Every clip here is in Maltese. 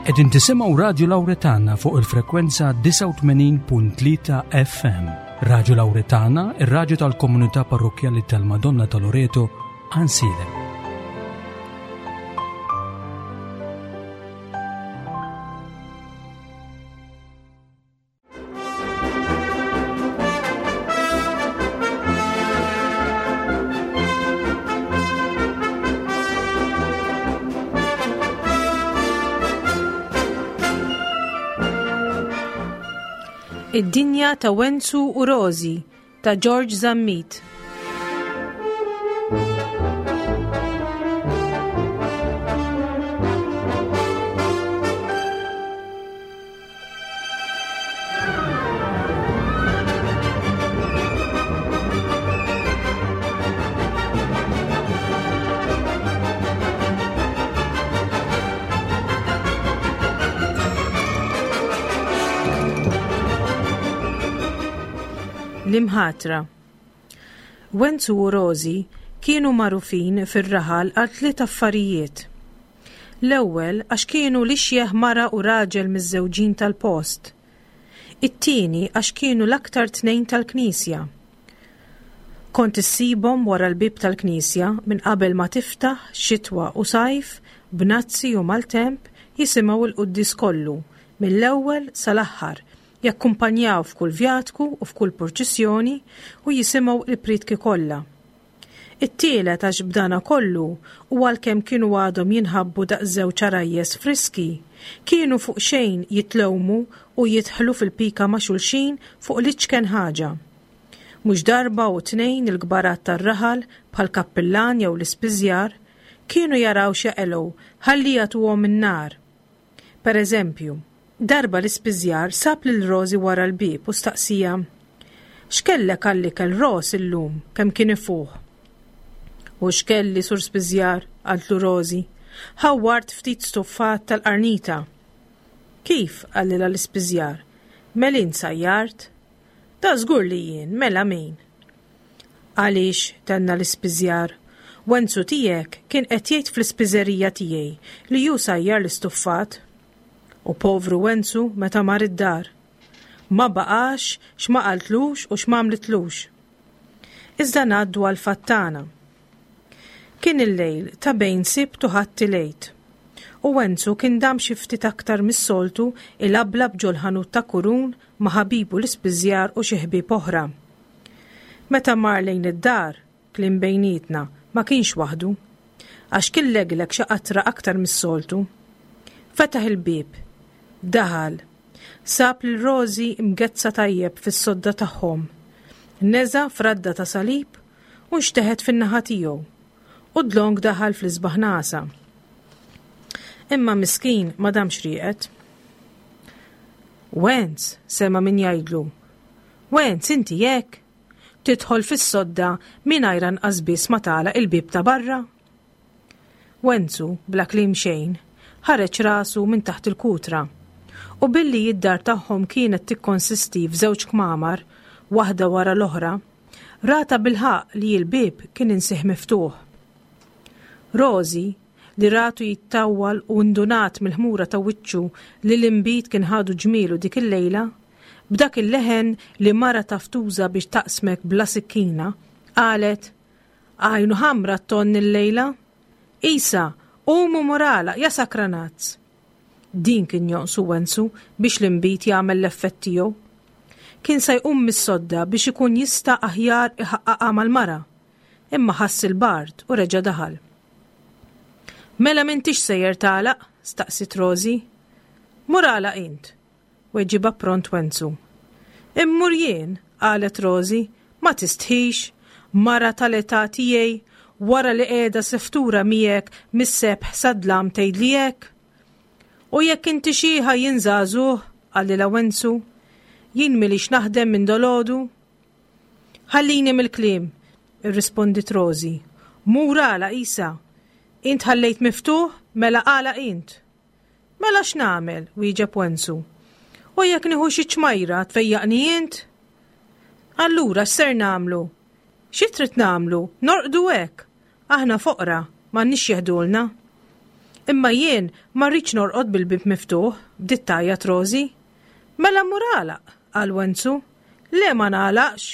Qegħdin tisimgħu Radju Lawretana fuq il-frekwenza 89.3 FM. Radju Lawretana, ir-radju tal-komunità parrokkjali tal-Madonna ta' Loreto, Ansilem. Id-dinja ta' Wenzu u Rozi ta' George Zammit. L-imħatra. Wenzu u Rozi kienu magħrufin fir-raħal għal tliet affarijiet. L-ewwel għax kienu l-ixjeħ mara u raġel miżżewġin tal-post. It-tieni għax kienu l-aktar tnejn tal-knisja. Kont issibhom wara l-bieb tal-knisja minn qabel ma tiftaħ, xitwa u sajf, bnazzi u maltemp, jisimgħu l-quddies kollu, mill-ewwel sal-aħħar, jakkumpanjaw f'kull vjatku u f'kull purċissjoni u jisimgħu l-prietki kollha. It-tielet għax b'dana kollu u għalkemm kienu għadhom jinħabbu daqs żewġ għarajjes friski, kienu fuq xejn jitlewmu u jidħlu fil-pika ma' xulxin fuq l-iċken ħaġa. Mhux darba u tnejn il-kbarat tar-raħal bħall-kappillan jew l-ispiżjar kienu jaraw x'jaqelgħu ħalli jagħtuhom in-nar. Per eżempju, darba l-ispiżjar sab lil Rosie wara l-bieb u staqsieha, X'kellek għall-ikel Ros illum kemm kien ifuħ? U x'kelli, Sur Spiżjar, qaltlu Rosie, ħawwart ftit stuffat tal-qarnita. Kif, qalilha l-ispiżjar, mel int sajjart? Da żgur li jien, mela min? Għaliex, tenna l-ispiżjar, Wenzu tiegħek kien qed jgħid fl-ispiżerija tiegħi li hu sajjar l-istuffat. U povru Wenzu meta mar id-dar. Ma baqax x'ma qaltlux u x'm'għamlitlux. Iżda ngħaddu għall-fatt tagħna. Kien il-lejl ta' bejn Sibt u Ħadd il-Għid. U Wenzu kien dam xi ftit aktar mis-soltu ilablab ġol-ħanut ta' Kurun ma' ħabibu l-ispiżjar u xi ħbieb oħra. Meta mar lejn id-dar, kliem bejnietna, ma kienx waħdu. Għax kien legleg xi qatra aktar mis-soltu. Fetaħ il-bieb. Daħal. Sab lil Rosie mgezza tajjeb fis-sodda tagħhom. Neża' fradda ta' salib u nxteħet fin-naħa tiegħu. U dlonk daħal fl-isbaħ nagħsa. Imma miskin ma damx rieqed. Wenz, sema' min jgħidlu. Wenz, inti hekk? Tidħol fis-sodda mingħajr anqas biss ma tagħlaq il-bieb ta' barra? Wenzu, bla kliem xejn, ħareġ rasu minn taħt il-kutra. U billi id-dar tagħhom kienet tikkonsisti f'żewġ kmamar, waħda wara l-oħra, ra tabilħaqq li l-bieb kien insih miftuħ. Rosie, li ratu jittawwal u ndunat mill-ħmura ta' wiċċu li l-inbid kien ħadu ġmielu dik il-lejla, b'dak il-leħen li mara taf tuża biex taqsmek bla sikkina, qalet, Għajnu ħamra t-tonn illejla! Isa, qum u mur agħlaq, ja sakranazz! Din kien jonqsu Wenzu biex l-inbid jagħmel l-effett tiegħu. Kien sa jqum mis-sodda biex ikun jista' aħjar iħaqqaqha mal-mara, imma ħass il-bard u reġa' daħal. Mela m'intix sejjer tagħlaq? staqsiet Rosie. Mur agħlaq int, weġibha pront Wenzu. Immur jien, qalet Rosie, ma tistħix, mara tal-età tiegħi, wara li qiegħda seftura miegħek mis-sebħ sad-dlam tgħidli hekk? U jekk inti xiħa jien żagħżugħ, qalilha Wenzu. Jien m'ilix naħdem minn dolgħodu. Ħallini mill-kliem, irrispondiet Rosie. Mur agħlaq isa. Int ħallejt miftuħ, mela agħlaq int. Mela x'nagħmel? wieġeb Wenzu. U jekk nieħu xi ċmajra tfejjaqni int? Allura x'ser nagħmlu? Xi trid nagħmlu? Norqdu hekk. Aħna foqra, m'għandniex jeħdulna. Imma jien ma rridx norqod bil-bieb miftuħ, bdiet tgħajjat Rożi. Mela mur agħlaq, qal Wenzu. Le ma nagħlaqx.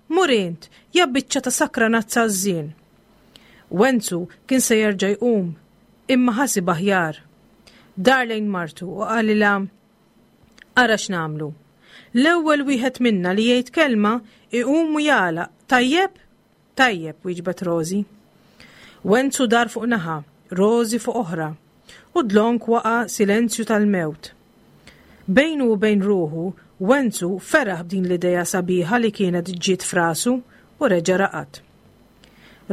Mur int, ja biċċa ta' sakranazza għażżien. Wenzu kien se jerġa' jqum, imma ħasib aħjar. Dar lejn martu u qalilha, Ara x'nagħmlu. L-ewwel wieħed minna li jgħid kelma iqum u jagħlaq, tajjeb? Tajjeb, wieġbet Rożi. Wenzu dar fuq naħa, Rożi fuq oħra, u dlonk waqa' silenzju tal-mewt. Bejnu u bejn ruħu, Wenzu feraħ b'din l-idea sabiħa li kienet ġiet f'rasu u reġa' raqad.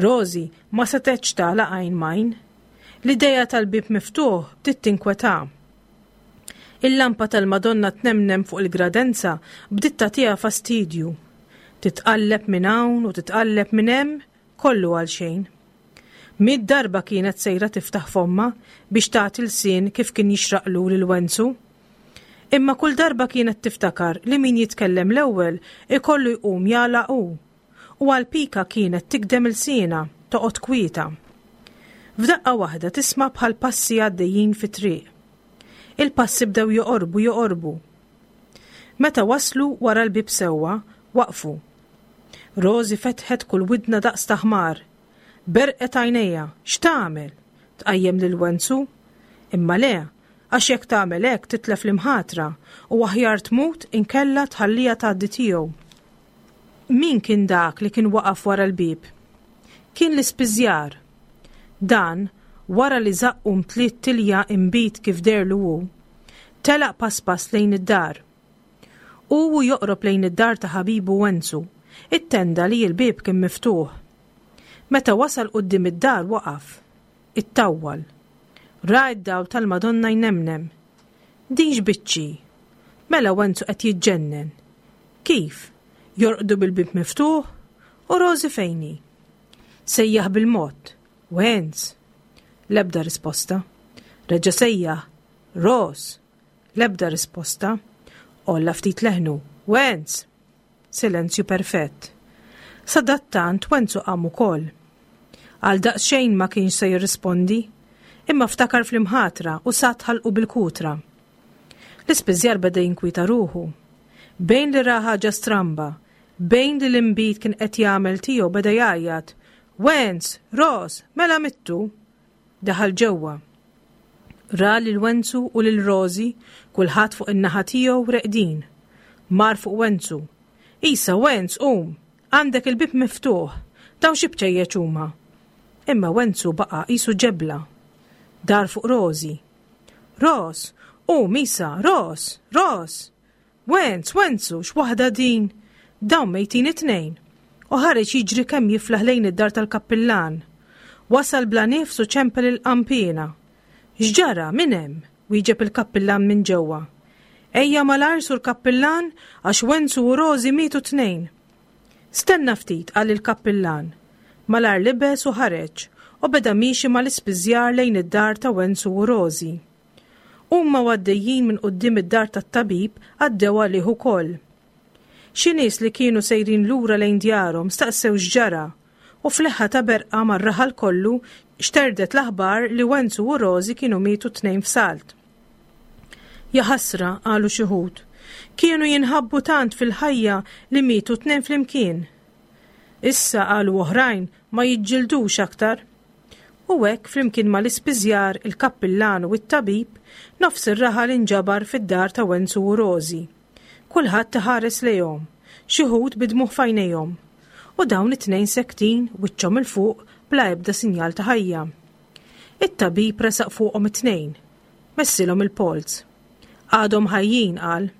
Rożi ma setgħetx tagħlaq għajn m'għajn. L-idea tal-bieb miftuħ bdiet tinkwetha. Il-lampa tal-Madonna tnemnem fuq il-gradenza bdiet tagħtiha fastidju. Titqalleb minn hawn u titqalleb minn hemm, kollu għal xejn. Miet darba kienet sejra tiftaħ fommha biex tagħti lsien kif kien jixraqlu lil Wenzu. Imma kull darba kienet tiftakar li min jitkellem l-ewwel ikollu jqum jagħlaq hu. U għal pika kienet tigdem ilsienha, toqgħod kwieta. F'daqqa waħda tisma' bħal passi għaddejjin fit-triq. Il-passi bdew joqorbu joqorbu. Meta waslu wara l-bieb sewwa, waqfu. Rożi fetħet kull widna daqs ta' ħmar. Berqet għajnejha, x'tagħmel? Tqajjem lil Wenzu? Imma le, għax jekk tagħmel hekk titlef l-imħatra u aħjar tmut inkella tħalliha tgħaddi tiegħu. Min kien dak li kien waqaf wara l-bieb? Kien l-ispiżjar. Dan, wara li żaqqu mtliet tilja inbid kif deherlu hu, telaq pass pass lejn id-dar. Hu u joqrob lejn id-dar ta' ħabibu Wenzu, ittenda li l-bieb kien miftuħ. Meta wasal quddiem id-dar waqaf. Ittawwal. Ra d-dawl tal-Madonna jnemnem. Din x'biċċi? Mela Wenzu qed jiġġennen. Kif? Jorqdu bil-bieb miftuħ? U Rożi fejn hi? Sejjaħ bil-mod. Wenz! L-ebda risposta. Reġa' sejjaħ. Ros! L-ebda risposta. Għolla ftit leħnu. Wenz! Silenzju perfett. Sadattant Wenzu qam ukoll. Għal daqsxejn ma kienx se jirrispondi, imma ftakar fl-imħatra u sat ħalqu bil-kutra. L-ispiżjar beda jinkwieta ruħu. Bejn li ra ħaġa stramba, bejn li l-inbid kien qed jagħmel tiegħu beda jgħajjat, Wenz! Ros! Mela mittu! Daħal ġewwa. Ra lil Wenzu u lil Rożi, kulħadd fuq in-naħa tiegħu reqdin. Mar fuq Wenzu. Isa, Wenz, qum! Għandek il-bieb miftuħ! Dawn xi bċejjeċ huma? Imma Wenzu baqa' qisu ġebla. Dar fuq Rożi. Ros! Qum, Isa! Ros! Ros! Wenz, Wenzu, x'waħda din! Dawn mejtin it-tnejn! U ħareġ jiġri kemm jiflaħ lejn id-dar tal-kappillan. Wasal bla nifs u ċempel il-qanpiena. X'ġara, min hemm? wieġeb il-kappillan minn ġewwa. Ejja malajr, Sur Kappillan, għax Wenzu u Rożi mietu t-tnejn. Stenna ftit, qal il-kappillan. Malajr libes u ħareġ, u beda miexi mal-ispiżjar lejn id-dar ta' Wenzu u Rożi. Huma u għaddejjin minn quddiem id-dar tat-tabib għaddew għalih ukoll. Xi nies li kienu sejrin lura lejn djarhom staqsew x'ġara u f'leħħa ta' berqa mar-raħal kollu xterdet l-aħbar li Wenzu u Rożi kienu mietu t-tnejn f'salt. Jaħasra, qalu xi wħud, kienu jinħabbu tant fil-ħajja li mietu t-tnejn flimkien. Issa, qalu oħrajn, ma jiġġildux aktar. U hekk, flimkien mal-ispiżjar, il-kappillan u t-tabib, nofs ir-raħal inġabar fid-dar ta' Wenzu u Rożi. Kulħadd iħares lejhom, xi wħud bi dmugħ f'għajnejhom. U dawn it-tnejn sektin, wiċċhom 'il fuq, bla ebda sinjal ta' ħajja. It-tabib resaq fuqhom it-tnejn. Messilhom il-polz. Għadhom ħajjin, qal.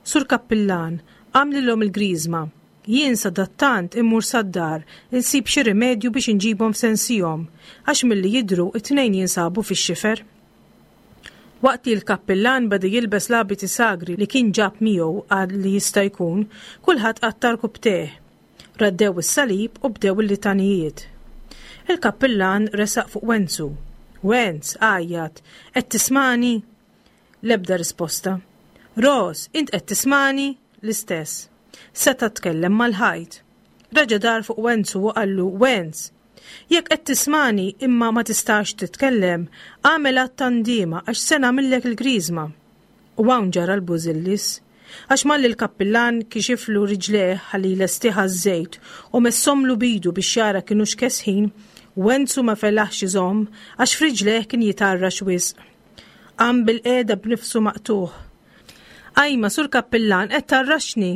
Sur Kappillan, agħmlilhom il-griżma. Jien sadattant immur sad-dar insib xi rimedju biex inġibhom f'sensihom, għax milli jidhru t-tnejn jinsabu fix-xifer. Waqt li l-kappillan beda jilbes l-abiti sagri li kien ġab miegħu għal li jista' jkun, kulħadd qattar kubtejh. Raddew is-salib u bdew il-litanijiet. Il-kappillan resaq fuq Wenzu. Wenz, għajjat, qed tismagħni? L-ebda risposta. Ros, int qed tismagħni? L-istess. Seta' tkellem mal-ħajt. Reġa' dar fuq Wenzu u qallu, Wenz! Jekk qed tismagħni imma ma tistax titkellem, agħmel att ta' ndiema għax se nagħmillek il-griżma. U hawn ġara l-bużillis. Għax malli l-kappillan kixiflu riġlejh ħalli jlestih għaż-żejt u messomlu b'idu biex jara kinux kesħin, Wenzu ma felaħx iżomm għax f'riġlejh kien jitgħarrax wisq. Qam bilqiegħda b'nifsu maqtugħ. Ajma, Sur Kappillan, qed tgħarraxni!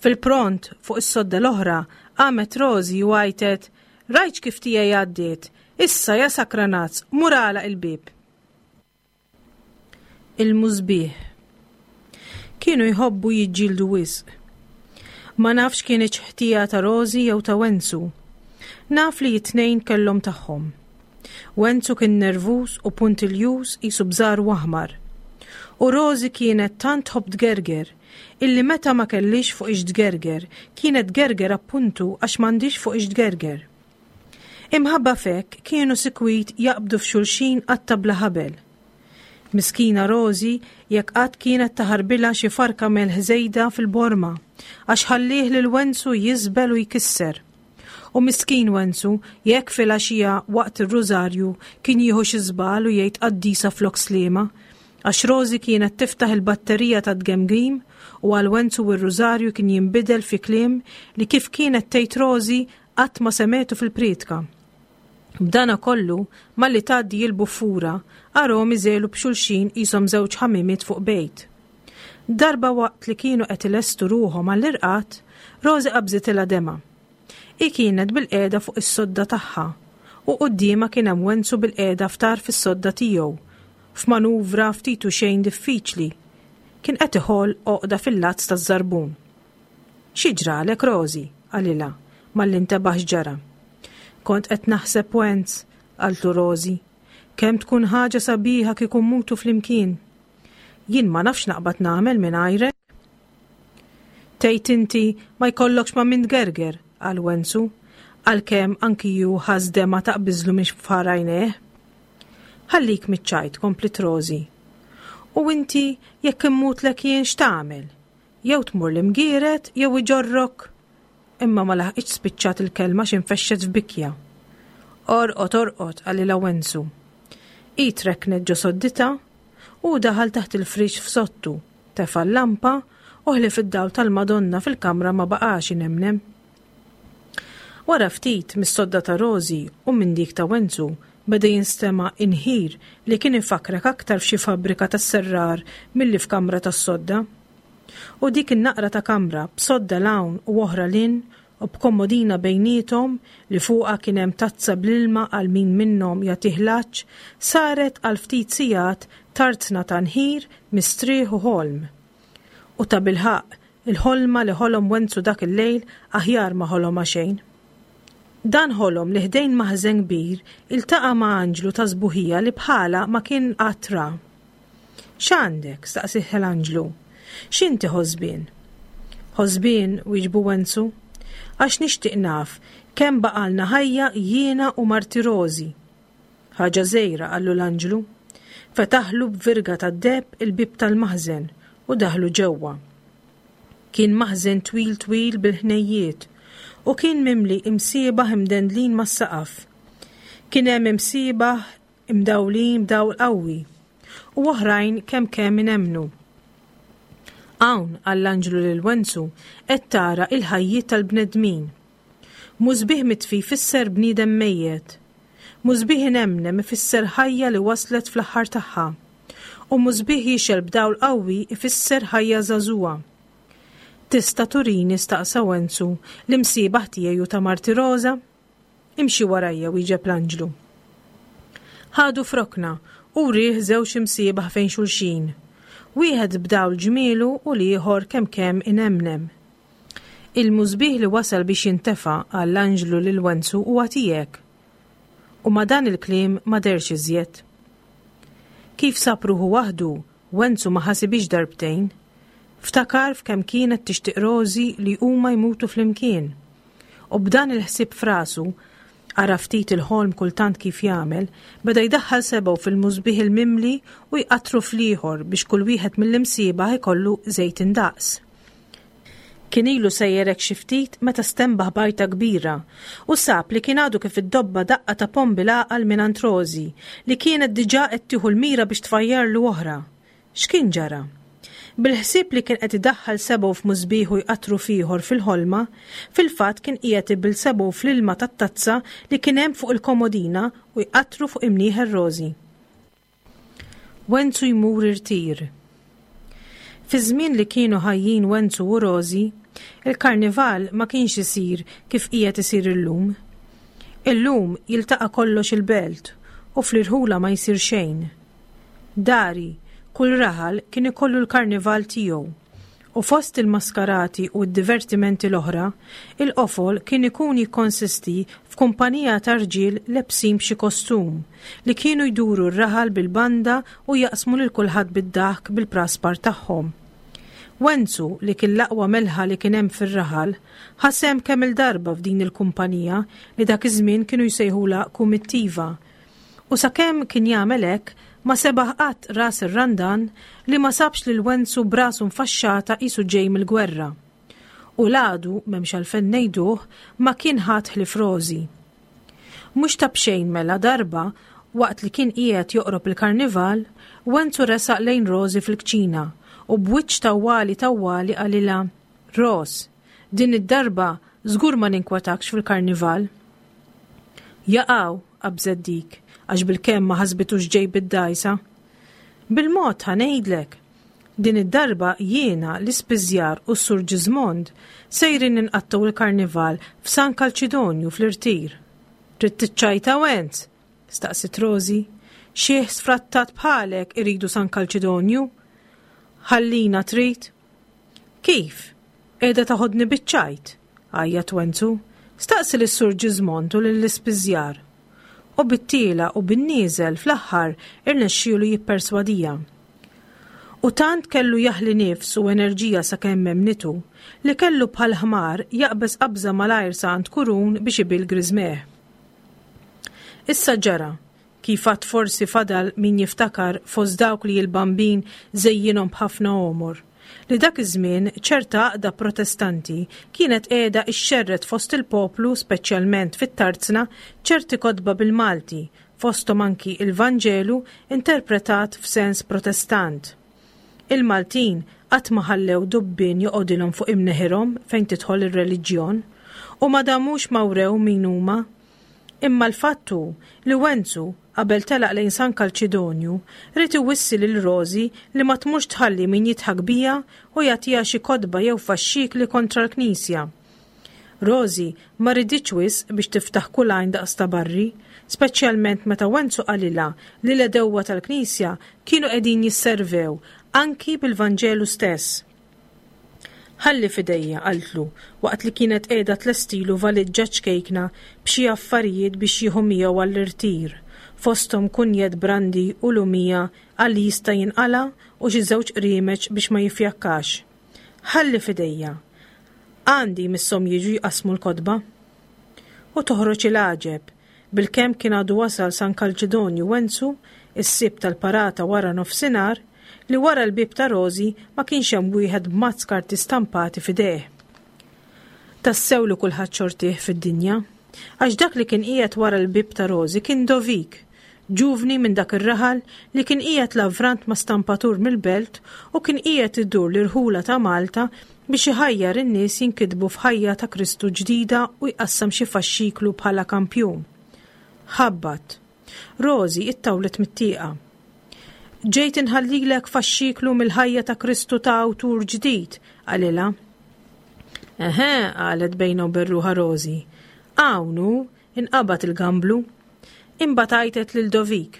Fil-pront, fuq is-sodda l-oħra, qamet Rosie u għajtet, Rajtx kif tiegħi għaddiet? Issa, ja sakranazz, mur agħlaq il-bieb! Il-musbieħ. Kienu jħobbu jiġġieldu wisq. Ma nafx kinitx ħtija ta' Rosie jew ta' Wenzu. Naf li t-tnejn kellhom tagħhom. Wenzu kien nervuż u puntiljuż qisu bżaru aħmar. U Rosie kienet tant tħobb tgerger illi meta ma kellhiex fuq ix tgerger, kienet tgerger appuntu għax m'għandhiex fuq ix tgerger. Imħabba f'hekk kienu sikwit jaqbdu f'xulxin qatta bla ħabel. Miskina Rosie jekk qatt kienet taħarbilha xi farka melħ żejda fil-borma, għax ħallieh lil Wenzu jiżbel u jkisser. U miskin Wenzu jekk filgħaxija waqt ir-rużarju kien jieħu xi żball u jgħid qaddisa flok sliema, għax Rosie kienet tiftaħ il-batterija tat-tgemgim u għal Wenzu r-rużarju kien jinbidel fi kliem li kif kienet tgħid Rosie Qatt ma semgħetu fil-prietka. B'dana kollu, malli tgħaddi il-buffura, arahom iżegħlu b'xulxin qishom żewġ ħamimiet fuq bejt. Darba waqt li kienu qed ilestu ruħhom għall-irqad, Rosie qabżitilha demgħa. Hi kienet bilqiegħda fuq is-sodda tagħha u quddiemha kien hemm Wenzu bilqiegħda f'tarf is-sodda tiegħu, f'manuvra ftit u xejn diffiċli. Kien qed iħoll għoqda fil-lazz taż-żarbun. Xi ġralek, Rosie? qalilha, malli ntebaħ x'ġara. Kont qed naħseb Wenz, qaltlu Rosie. Kemm tkun ħaġa sabiħa kieku mmutu flimkien. Jien ma nafx naqbad nagħmel mingħajrek. Tgħid inti ma jkollokx ma' min tgerger, qal Wenzu, għalkemm anki hu ħass demgħa taqbiżlu minn xfar għajnejh. Ħallik miċ-ċajt, kompliet Rosie. U inti jekk immutlek jien x'tagħmel? Jew tmur l-Imgieret jew iġorrok! Imma ma laħqitx spiċċat il-kelma x'infexxet f'bikja. Orqod, orqod, qalilha Wenzu. Hi trekknet ġo sodditha u hu daħal taħt il-friex f'sodtu, tefa' l-lampa u ħlief id-dawl tal-Madonna fil-kamra ma baqax inemnem. Wara ftit, mis-sodda ta' Rosie u minn dik ta' Wenzu beda jinstema' inħir li kien ifakkrek aktar f'xi fabbrika tas-serrar milli f'kamra tas-sodda. U dik in-naqra ta' kamra b'sodda 'l hawn u oħra 'l hinn u b'komodina bejniethom li fuqha kien hemm tazza bl-ilma għal min minnhom jagħtih l-għatx saret għal ftit sigħat tarzna ta' nħir, mistrieħ u ħolm. U tabilħaqq, il-ħolma li ħolom Wenzu dak il-lejl aħjar ma ħolomha xejn. Dan ħolom li ħdejn maħżen kbir iltaqa' ma' anġlu ta' sbuħija li bħalha ma kien qatt ra. X'għandek? staqsieh l-anġlu. X'inti ħosbien? Ħosbien, wieġbu Wenzu, għax nixtieq naf kemm baqgħalna ħajja jiena u marti Rożi. Ħaġa żgħira, qallu l-anġlu. Fetaħlu b'virga tad-deheb il-bieb tal-maħżen u daħlu ġewwa. Kien maħżen twil twil bil-ħnejjiet u kien mimli imsiebaħ imdendlin mas-saqaf. Kien hemm imsiebaħ imdawlin b'dawl qawwi u oħrajn kemm kemm inemmnu. Hawn, qal l-anġlu lil Wenzu, qed tara il-ħajjiet tal-bnedmin. Musbieħ mitfi jfisser bniedem mejjet. Musbieħ inemnem ifisser ħajja li waslet fl-aħħar tagħha. U musbieħ jixgħel b'dawl qawwi ifisser ħajja żagħżugħa. Tista' turini, staqsa Wenzu, l-imsiebaħ tiegħi u ta' marti Roża? Imxi warajja, wieġeb l-anġlu. Ħadu f'rokna u wrieh żewġ imsiebaħ fejn xulxin. Wieħed b'dawl ġmielu u l-ieħor kemm kemm inemnem. Il-musbieħ li wasal biex jintefa', qal l-anġlu lil Wenzu, huwa tiegħek. U ma' dan il-kliem ma dehrx iżjed. Kif sab ruħu waħdu, Wenzu ma ħasibhiex darbtejn. Ftakar f'kemm kienet tixtieq Rosie li huma jmutu flimkien. U b'dan il-ħsieb f'rasu, ara ftit il-ħolm kultant kif jagħmel, beda jdaħħal sebgħu fil-musbieħ il-mimli u jqattru fl-ieħor biex kull wieħed mill-imsiebaħ ikollu żejt indaqs. Kien ilu sejjer hekk xi ftit meta stenbaħ b'għajta kbira u sab li kien għadu kif iddobba daqqa ta' ponn bil-għaqal mingħand Rosie li kienet diġà qed tieħu l-mira biex tfajjarlu oħra. X'kien ġara? Bil-ħsieb li kien qed idaħħal sebgħu f'musbieħ u jqattru f'ieħor fil-ħolma, fil-fatt kien qiegħed ibill sebgħu fl-ilma tat-tazza li kien hemm fuq il-komodina u jqattru fuq imnieħer Rosie. Wenzu jmur irtir. Fiż-żmien li kienu ħajjin Wenzu u Rożi, il-karnival ma kienx isir kif qiegħed isir illum. Illum jiltaqa' kollox il-belt u fl-irħula ma jsir xejn. Dari, kull raħal kien ikollu l-karnival tiegħu u fost il-maskarati u d-divertimenti l-oħra, il-qofol kien ikun jikkonsisti f'kumpanija ta' rġiel lebsin b'xi kostum, li kienu jduru r-raħal bil-banda u jaqsmu lil kulħadd bid-daħk bil-praspar tagħhom. Wenzu, li kien l-aqwa melħa li kien hemm fir-raħal, ħa sehem kemm-il darba f'din il-kumpanija li dak iż-żmien kienu jsejħulha kumittiva, U sakemm kien jagħmel hekk, ma sebaħ qatt ras ir-Randan li ma sabx lil Wenzu b'rasu mfaxxata qisu ġej mill-gwerra. U l-għadu, m'hemmx għalfejn ngħiduh, ma kien ħadd ħlief Rożi. Mhux ta' b'xejn mela darba, waqt li kien qiegħed joqrob il-karnival, Wenzu resaq lejn Rożi fil-kċina u b'wiċċ tawwali tawwali qalilha, Ros, din id-darba żgur ma ninkwetakx fil-karnival. Jaqaw, qabżet dik, għax bilkemm ma ħasbitux ġej bid-dgħajsa. Bil-mod ħa ngħidlek. Din id-darba jiena, l-ispiżjar u s-Sur Ġiżmond sejrin inqattgħu l-karnival f'San Kalċidonju fl-Irtir. Trid tiċċajta Wenz? staqsiet Rożi. Xiħ sfrattat bħalek iridu San Kalċidonju? Ħallina trid? Kif? Qiegħda taħodni biċ-ċajt? għajjat Wenzu. Staqsi lis-Sur Ġiżmond u lill-ispiżjar. U bit-tiela' u bin-nieżel fl-aħħar irnexxielu jipperswadiha. U tant kellu jaħli nifs u enerġija sakemm emmnitu, li kellu bħal ħmar jaqbeż qabża malajr sa għand Kurun biex ibill griżmeh. Issa ġara, Kif għad forsi fadal min jiftakar fost dawk li l-Bambin żejjinhom b'ħafna għomor, li dak iż-żmien ċerta għaqda Protestanti kienet qiegħda ixxerred fost il-poplu speċjalment fit-tarzna ċerti kotba bil-Malti, fosthom anki il-Vanġelu interpretat f'sens Protestant. Il-Maltin qatt ma ħallew dubbien joqgħodilhom fuq imneħirhom fejn tidħol ir-reliġjon, u ma damux ma wrew min huma. Imma l-fatt hu li Wenzu, qabel telaq lejn San Kalċidonju, ried iwissi lil Rożi li ma tmurx tħalli min jidħak biha u jagħtiha xi kotba jew faxxikli kontra l-Knisja. Rożi ma riditx wisq biex tiftaħ kull għajn daqs ta' barri, speċjalment meta Wenzu qalilha li l-għedewwa tal-Knisja kienu qegħdin jisservew anki bil-Vanġelu stess. Ħalli f'idejja, qaltlu, waqt li kienet qiegħda tlestilu valiġġa ċkejkna b'xi affarijiet biex jieħu miegħu għall-irtir, fosthom kunjett brandi u lumija għal li jista' jinqala' u xi żewġ qriemeċ biex ma jiffjakkax. Ħalli f'idejja. Għandi jmisshom jiġu jqassmu l-kotba. U toħroġ il-għaġeb, bilkemm kien għadu wasal San Kalċidonju Wenzu, is-Sibt tal-parata wara nofsinhar, li wara l-bieb ta' Rożi ma kienx hemm wieħed b'mazz karti stampati f'idejh. Tassew li kulħadd xortih fid-dinja, għax dak li kien qiegħed wara l-bieb ta' Rożi kien Dovik, ġuvni minn dak ir-raħal li kien qiegħed lavrant ma' stampatur mill-belt u kien qiegħed idur l-irħula ta' Malta biex iħajjar in-nies jinkitbu f'ħajja ta' Kristu ġdida u jqassam xi faxxiklu bħala kampjun. Ħabbat. Rożi ittawlet mit-tieqa. Ġejt inħallilek faxxiklu mill-ħajja ta' Kristu ta' awtur ġdid, qalilha. Eħe, qalet bejna u berruħa Rożi. Hawn hu, inqabad il-gamblu. Imbagħad għajtet lil Dovik.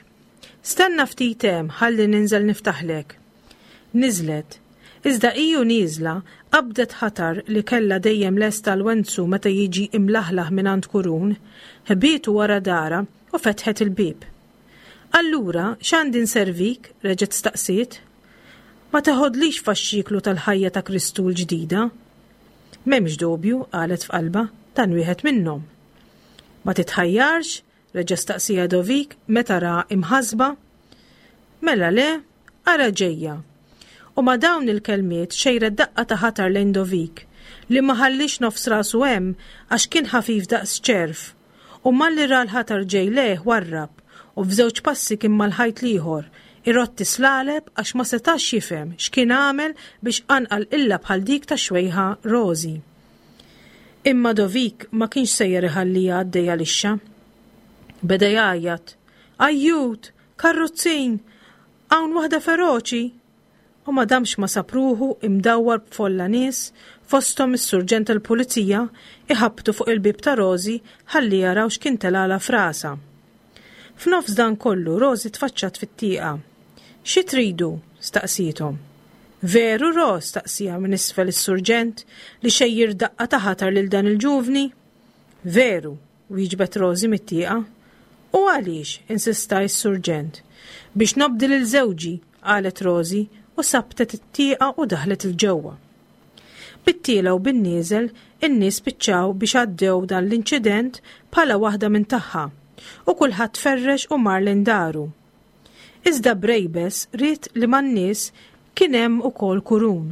Stenna ftit hemm ħalli ninżel niftaħlek. Niżlet. Iżda hi u nieżla, qabdet ħatar li kellha dejjem lest għal Wenzu meta jiġi imlaħlaħ mingħand Kurun, ħbietu wara darha u fetħet il-bieb. Allura, x'għandi nservik? reġgħet staqsiet. Ma teħodlix faxxiklu tal-ħajja ta' Kristu l-ġdida? M'hemmx dubju, qalet f'qalbha, dan wieħed minnhom. Ma titħajjarx? reġa' staqsieha Dovik meta ra imħassba. Mela le, ara ġejja. U ma' dawn il-kelmiet xejret daqqa ta' ħatar lejn Dovik, Li ma ħalliex nofs rasu hemm għax kien ħafif daqs ċerv, u malli ra l-ħatar ġej lejh warrab u f'żewġ passi kien mal-ħajt l-ieħor, irotti slaleb għax ma setax jifhem x'kien għamel biex qanqal qilla bħal dik tax-xwejħa Rosie. Imma Dovik ma kienx sejjer iħalliha għaddejja lixxa. Beda jgħajjat, Ajjut! Karrozzin! Hawn waħda feroċi! U ma damx ma sab ruħu imdawwar b'folla nies, fosthom is-surġent tal-pulizija, iħabbtu fuq il-bieb ta' Rosie ħalli jaraw x'kien telgħalha f'rasha. F'nofs dan kollu Rosie tfaċċat fit-tieqa. Xi tridu? staqsiethom. Veru, Ros? staqsieha minn isfel is-surġent, li xejjir daqqa ta' ħatar lil dan il-ġuvni? Veru, wieġbet Rosie mit-tieqa. U għaliex? insista s-surġent. Biex nobdi lil żewġi, qalet Rosie u sabbtet it-tieqa u daħlet 'il ġewwa. Bit-tiela u bin-nieżel, in-nies spiċċaw biex għaddew dan l-inċident bħala waħda minn tagħha u kulħadd tferrex u mar lejn daru. Iżda Brejbes ried li man-nies kien hemm ukoll Kurun.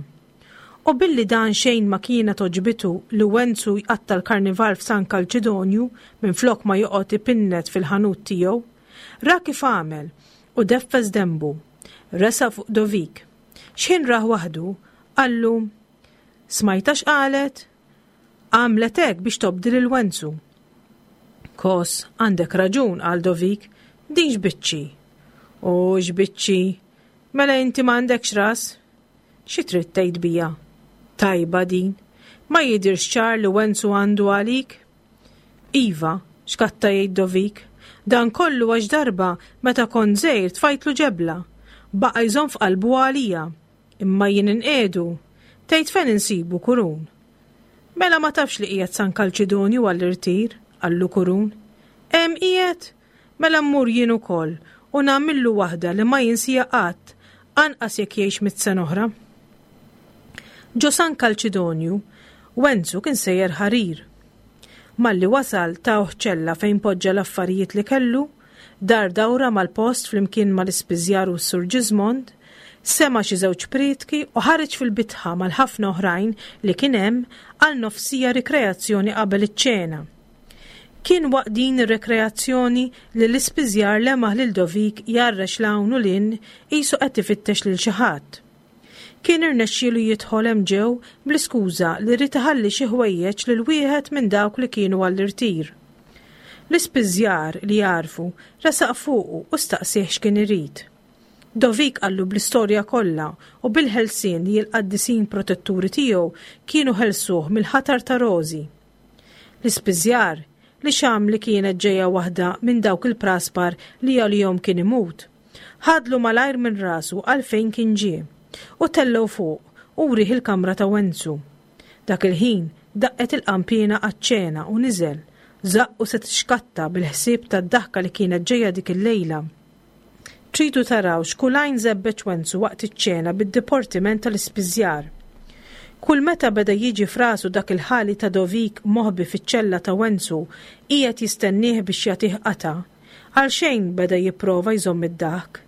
U billi dan xejn ma kienet għoġbitu li Wenzu jqatta' l-Karnival f'San Kalċidonju minflok ma joqgħod ipinnet fil-ħanut tiegħu, ra kif għamel u deffes denbu. Resaq fuq Dovik. X'ħin rah waħdu, qallu, Smajtha x'qalet? Għamlet hekk biex tobdi lil Wenzu. Kos, għandek raġun, qal Dovik, din x'biċċi. U x'biċċi? Mela inti m'għandekx ras? Xi trid tgħid bija? Tajba din. Ma jidhirx ċar li Wenzu għandu għalik? Iva, xkatta jgħid Dovik. Dan kollu għax darba meta kont żgħir tfajtlu ġebla. Baqa' jżomm f'qalbu għalija. Imma jien inqiegħdu. Tgħid fejn insibu Kurun? Mela ma tafx li qiegħed San Kalċidonju għall-irtir, qallu Kurun. Hemm qiegħed? Mela mmur jien ukoll u nagħmillu waħda li ma jinsieha qatt, anqas jekk jgħix mitt sena oħra. Ġo San Kalċidonju, Wenzu kien sejjer ħarir. Malli wasal tawh ċella fejn poġġa l-affarijiet li kellu, dar dawra mal-post flimkien mal-ispiżjar u s-Sur Ġiżmond, sema' xi żewġ prietki u ħareġ fil-bitħa mal-ħafna oħrajn li kien hemm għal nofsija rikreazzjoni qabel iċ-ċena. Kien waqt din ir-rekreazzjoni li l-ispiżjar lemaħ lil Dovik jgħarrex 'l hawn u 'l hinn qisu qed ifittex lil xi ħadd. Kien irnexxielu jidħol hemm ġew bl-iskuża li ried iħalli xi ħwejjeġ lil wieħed minn dawk li kienu għall-irtir. L-ispiżjar, li għarfu, resaq fuqu u staqsieh x'kien irid. Dovik qallu bl-istorja kollha u bil-ħelsien li l-qaddisin protetturi tiegħu kienu ħelsuh mill-ħatar ta' Rożi. L-ispiżjar, li xamm li kienet ġejja waħda minn dawk il-praspar li għalihom kien imut, ħadlu malajr minn rasu għalfejn kien ġie, u tellgħu fuq u wrieh il-kamra ta' Wenzu. Dak il-ħin daqqet il-qanpiena għaċ-ċena u niżel, żaqqu se tixkatta bil-ħsieb tad-daħka li kienet ġejja dik il-lejla. Tridu taraw x'kull għajn żebbeġ Wenzu waqt iċ-ċena bid-diportiment tal-ispiżjar. Kull meta beda jiġi f'rasu dak il-ħali ta' Dovik moħbi fiċ-ċella ta' Wenzu qiegħed jistennieh biex jagħtih qatgħa, għalxejn beda jipprova jżomm id-daħk.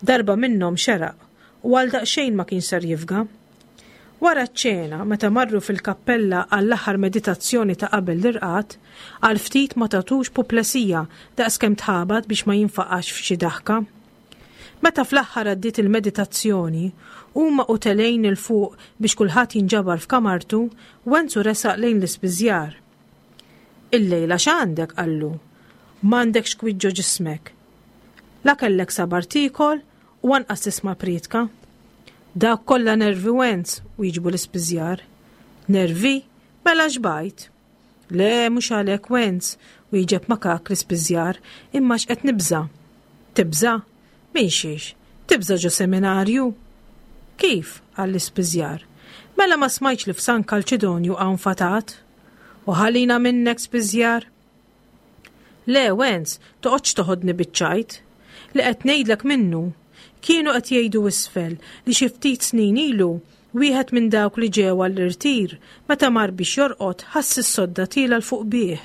Darba minnhom xeraq u għal daqsxejn ma kienx ser jifga. Wara ċ-ċena, meta marru fil-kappella għall-aħħar meditazzjoni ta' qabel l-irqad, għal ftit ma tatux puplesija daqskemm tħabat biex ma jinfaqax f'xi daħka. Meta fl-aħħar għaddiet il-meditazzjoni, huma u telgħin 'il fuq biex kulħadd jinġabar f'kamartu, Wenzu resaq lejn l-ispiżjar. Illejla x'għandek? qallu. M'għandekx kwiet ġo ġismek. La kellek sabar tiekol u anqas tisma' prietka. Dawk kollha nervi Wenz, wieġbu l-ispiżjar. Nervi? Mela xbajt. Le, mhux għalhekk Wenz, wieġeb makak l-ispiżjar, imma x'qed nibża'. Tibża'? Minn xiex? Tibża' ġo seminarju? Kif? qal l-ispiżjar. Mela ma smajtx li f'San Kalċidonju hawn fatat? U ħalina minnek spiżjar. Le, Wenz, toqgħodx toħodni biċ-ċajt. Li qed ngħidlek minnu. Kienu qed jgħidu isfel li xi ftit snin ilu, wieħed minn dawk li ġew għall-irtir, meta mar biex jorqod ħass is-sodda tiela' 'l fuq bih.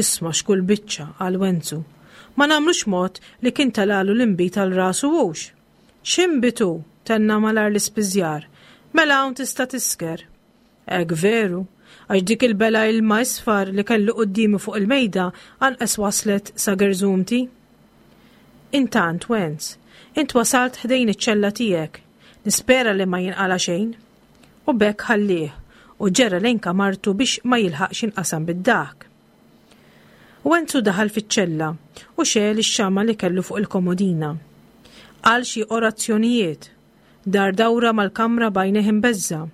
Isma' x'kull biċċa, qal Wenzu. Ma nagħmlux mod li kien telgħalu l-inbid għal rasu hux? X'inbid hu? tenna malajr l-ispiżjar. Mela hawn tista' tisker. Hekk veru, għax dik il-bela ilma isfar li kellu quddiemi fuq il-mejda anqas waslet sa gerżumti. Intant, Wenz, int wasalt ħdejn iċ-ċella tiegħek. Nispera li ma jinqala' xejn. U b'hekk ħallieh u ġera lejn kamartu biex ma jilħaqx jinqasam bid-daħk. Wenzu daħal fiċ-ċella u xegħel ix-xama' li kellu fuq il-komodina. Qal xi orazzjonijiet, dar dawra mal-kamra b'għajnejh imbeżża'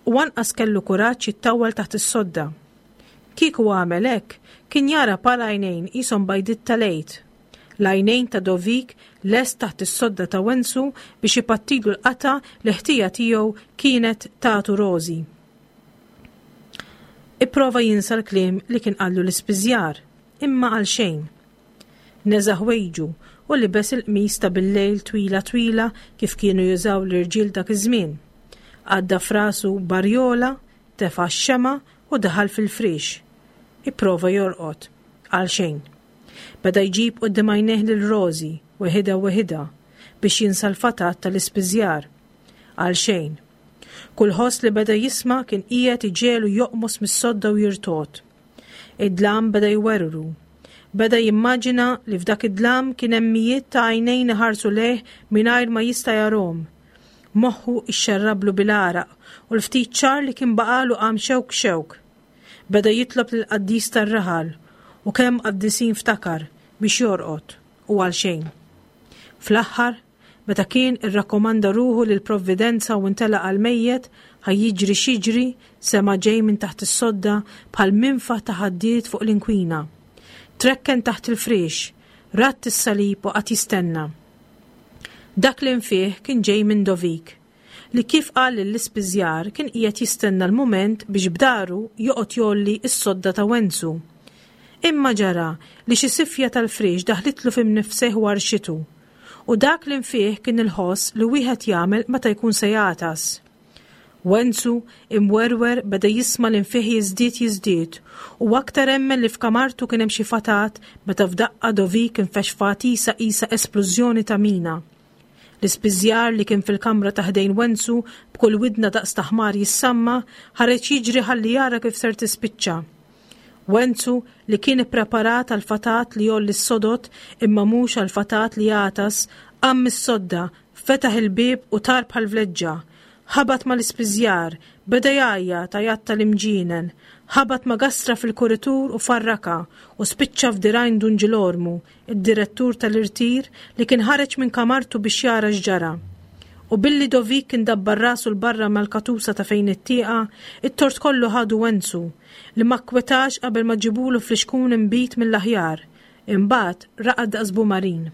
u anqas kellu kuraġġ jittawwal taħt is-sodda. Kieku għamel hekk, kien jara par għajnejn qishom bajdiet tal-Għid. L-għajnejn ta' Dovik lest taħt is-sodda ta' Wenzu biex ipattilu l-qatgħa li ħtija tiegħu kienet tagħtu Rożi. Ipprova jinsa l-kliem li kien qallu l-ispiżjar, imma għalxejn. Neża' ħwejġu u libes il-qmis ta' billejl twila twila kif kienu jużaw l-irġiel dak iż-żmien. Għadda f'rasu barjola, tefa' x-xemgħa u daħal fil-friex. Ipprova jorqod. Għalxejn. Beda jġib quddiem għajnejh lil Rożi, weħidha weħidha, biex jinsa l-fatat tal-ispiżjar. Għalxejn. Kull ħoss li beda jisma' kien qiegħed iġegħlu joqmos mis-sodda u jirtogħod. Id-dlam beda jwerwru. Beda jimmaġina li f'dak id-dlam kien hemm mijiet ta' għajnejn iħarsu lejh mingħajr ma jista' jarahom. Moħħu ixxerrablu bil-għaraq u l-ftit ċar li kien baqagħlu qam xewk xewk. Beda jitlob lill-qaddis tar-raħal u kemm qaddisin ftakar biex jorqod u għalxejn. Fl-aħħar, meta kien irrakkomanda ruħu lill-Provvidenza u ntelaq għall-mejjet, ħa jiġri x'jiġri, sema' ġej minn taħt is-sodda bħal minfaħ ta' ħaddied fuq l-inkwina. Trekken taħt il-friex, radd is-salib u qagħad jistenna. Dak l-infiħ kien ġej minn Dovik. li kif qal lill-ispiżjar kien qiegħed jistenna l-mument biex b'daru joqgħod jgħolli s-sodda ta' Wenzu. Imma ġara li xi sifja tal-friex daħlitlu fi mnifsejh u għarrxitu. U dak l-infiħ kien il-ħoss li wieħed jagħmel meta jkun se jagħtas. Wenzu, imwerwer, beda jisma' l-infiħ jiżdied jiżdied u aktar emmen li f'kamartu kien hemm xi fatat meta f'daqqa Dovik infexx f'għatisa qisha esplużjoni ta' mina. L-ispiżjar li kien fil-kamra ta' ħdejn Wenzu b'kull widna daqs ta' ħmar jissamma, ħareġ jiġri ħalli jara kif ser tispiċċa. Wenzu li kien ippreparat għall-fatat li jgħolli s-sodod imma mhux għall-fatat li jagħtas, qam mis-sodda, fetaħ il-bieb u tar bħal vleġġa. Ħabat mal-ispiżjar, beda jgħajjat għajat tal-imġienen. Ħabat ma' gastra fil-kuritur u farrakha u spiċċa f'dirgħajn Dun Ġilormu, id-direttur tal-irtir li kien ħareġ minn kamartu biex jara x'ġara. U billi Dovik kien dabbar rasu 'l barra mal-katusa ta' fejn it-tieqa, it-tort kollu ħadu Wenzu, li ma kkwetax qabel ma ġibulu flixkun inbid mill-aħjar. Imbagħad raqad daqs bumarin.